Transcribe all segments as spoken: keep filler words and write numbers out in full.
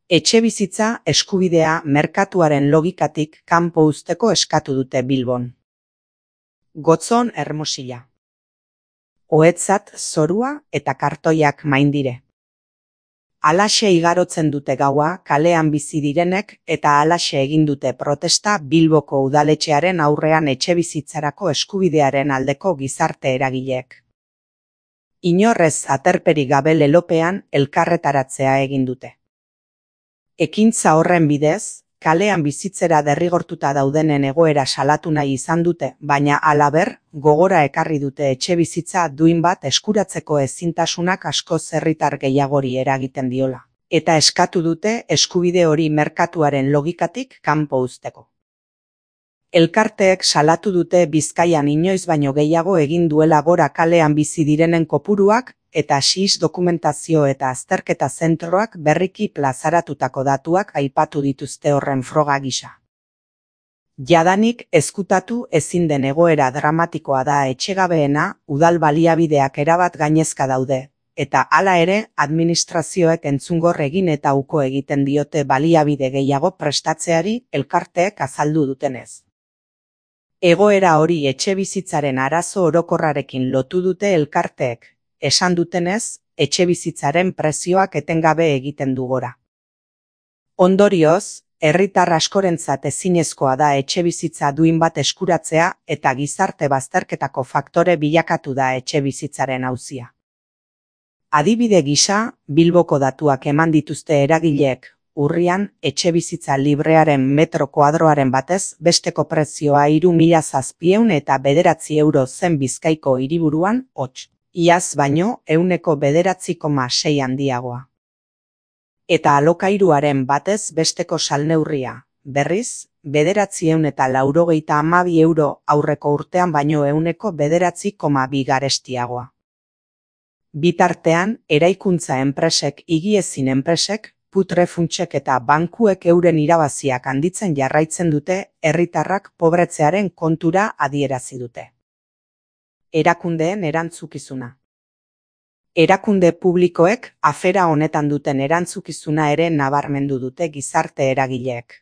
Etxebizitza eskubidea merkatuaren logikatik kanpo uzteko eskatu dute Bilbon. Gotzon Hermosilla. Ohetzat zorua eta kartoiak maindire. Halaxe igarotzen dute gaua kalean bizi direnek eta halaxe egin dute protesta Bilboko udaletxearen aurrean etxebizitzarako eskubidearen aldeko gizarte eragileek. Inorrez aterperik gabe lelopean elkarretaratzea egin dute. Ekintza horren bidez, kalean bizitzera derrigortuta daudenen egoera salatu nahi izan dute, baina halaber, gogora ekarri dute etxebizitza duin bat eskuratzeko ezintasunak askoz herritar gehiagori eragiten diola, eta eskatu dute eskubide hori merkatuaren logikatik kanpo uzteko. Elkarteek salatu dute Bizkaian inoiz baino gehiago egin duela gora kalean bizi direnen kopuruak, eta S I S dokumentazio eta azterketa zentroak berriki plazaratutako datuak aipatu dituzte horren froga gisa. Jadanik ezkutatu ezin den egoera dramatikoa da etxegabeena, udal baliabideak erabat gainezka daude, eta hala ere administrazioek entzungor egin eta uko egiten diote baliabide gehiago prestatzeari elkarteek azaldu dutenez. Egoera hori etxebizitzaren arazo orokorrarekin lotu dute elkarteek, esan dutenez, etxebizitzaren prezioak etengabe egiten du gora. Ondorioz, herritar askorentzat ezinezkoa da etxebizitza duin bat eskuratzea eta gizarte bazterketako faktore bilakatu da etxebizitzaren auzia. Adibide gisa, Bilboko datuak eman dituzte eragileek, urrian etxebizitza librearen metro kuadroaren batez besteko prezioa hiru mila zazpiehun eta bederatzi euro zen Bizkaiko hiriburuan, hots. Iaz baino ehuneko bederatzi koma sei handiagoa. Eta alokairuaren batez besteko salneurria, berriz, bederatziehun eta laurogeita hamabi euro aurreko urtean baino ehuneko bederatzi koma bi garestiagoa. Bitartean, eraikuntza enpresek higiezin enpresek, putre funtsek eta bankuek euren irabaziak handitzen jarraitzen dute, herritarrak pobretzearen kontura adierazi dute. Erakundeen erantzukizuna. Erakunde publikoek afera honetan duten erantzukizuna ere nabarmendu dute gizarte eragileek.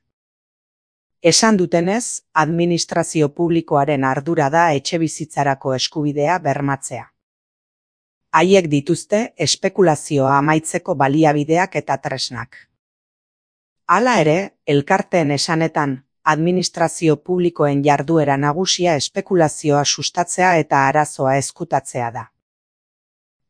Esan dutenez, administrazio publikoaren ardura da etxebizitzarako eskubidea bermatzea. Haiek dituzte espekulazioa amaitzeko baliabideak eta tresnak. Hala ere, elkarteen esanetan, administrazio publikoen jarduera nagusia espekulazioa sustatzea eta arazoa ezkutatzea da.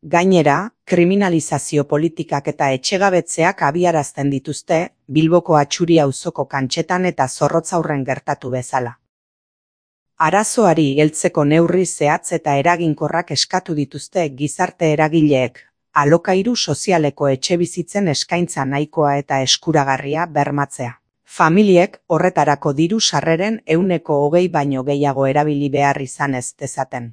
Gainera, kriminalizazio politikak eta etxegabetzeak abiarazten dituzte, Bilboko Atxuri auzoko kantxetan eta Zorrotzaurren gertatu bezala. Arazoari heltzeko neurri zehatz eta eraginkorrak eskatu dituzte gizarte eragileek, alokairu sozialeko etxebizitzen eskaintza nahikoa eta eskuragarria bermatzea. Familiek horretarako diru sarreren ehuneko hogei baino gehiago erabili behar izan ez dezaten.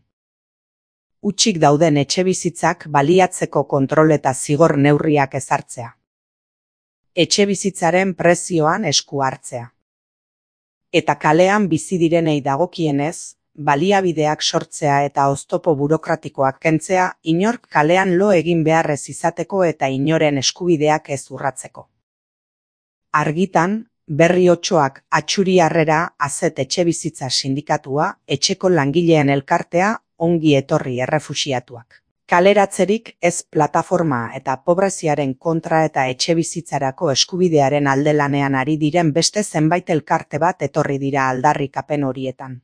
Hutsik dauden etxebizitzak baliatzeko kontrol eta zigor neurriak ezartzea. Etxebizitzaren prezioan esku hartzea. Eta kalean bizi direnei dagokienez, baliabideak sortzea eta oztopo burokratikoak kentzea inork kalean lo egin beharrez izateko eta inoren eskubideak ez urratzeko. Argitan, Berri Otsoak, Atxuri Harrera, Azet Etxebizitza Sindikatua, etxeko langileen elkartea, ongi etorri errefuxiatuak. Kaleratzerik ez plataforma eta pobreziaren kontra eta etxebizitzarako eskubidearen alde lanean ari diren beste zenbait elkarte bat etorri dira aldarrikapen horietan.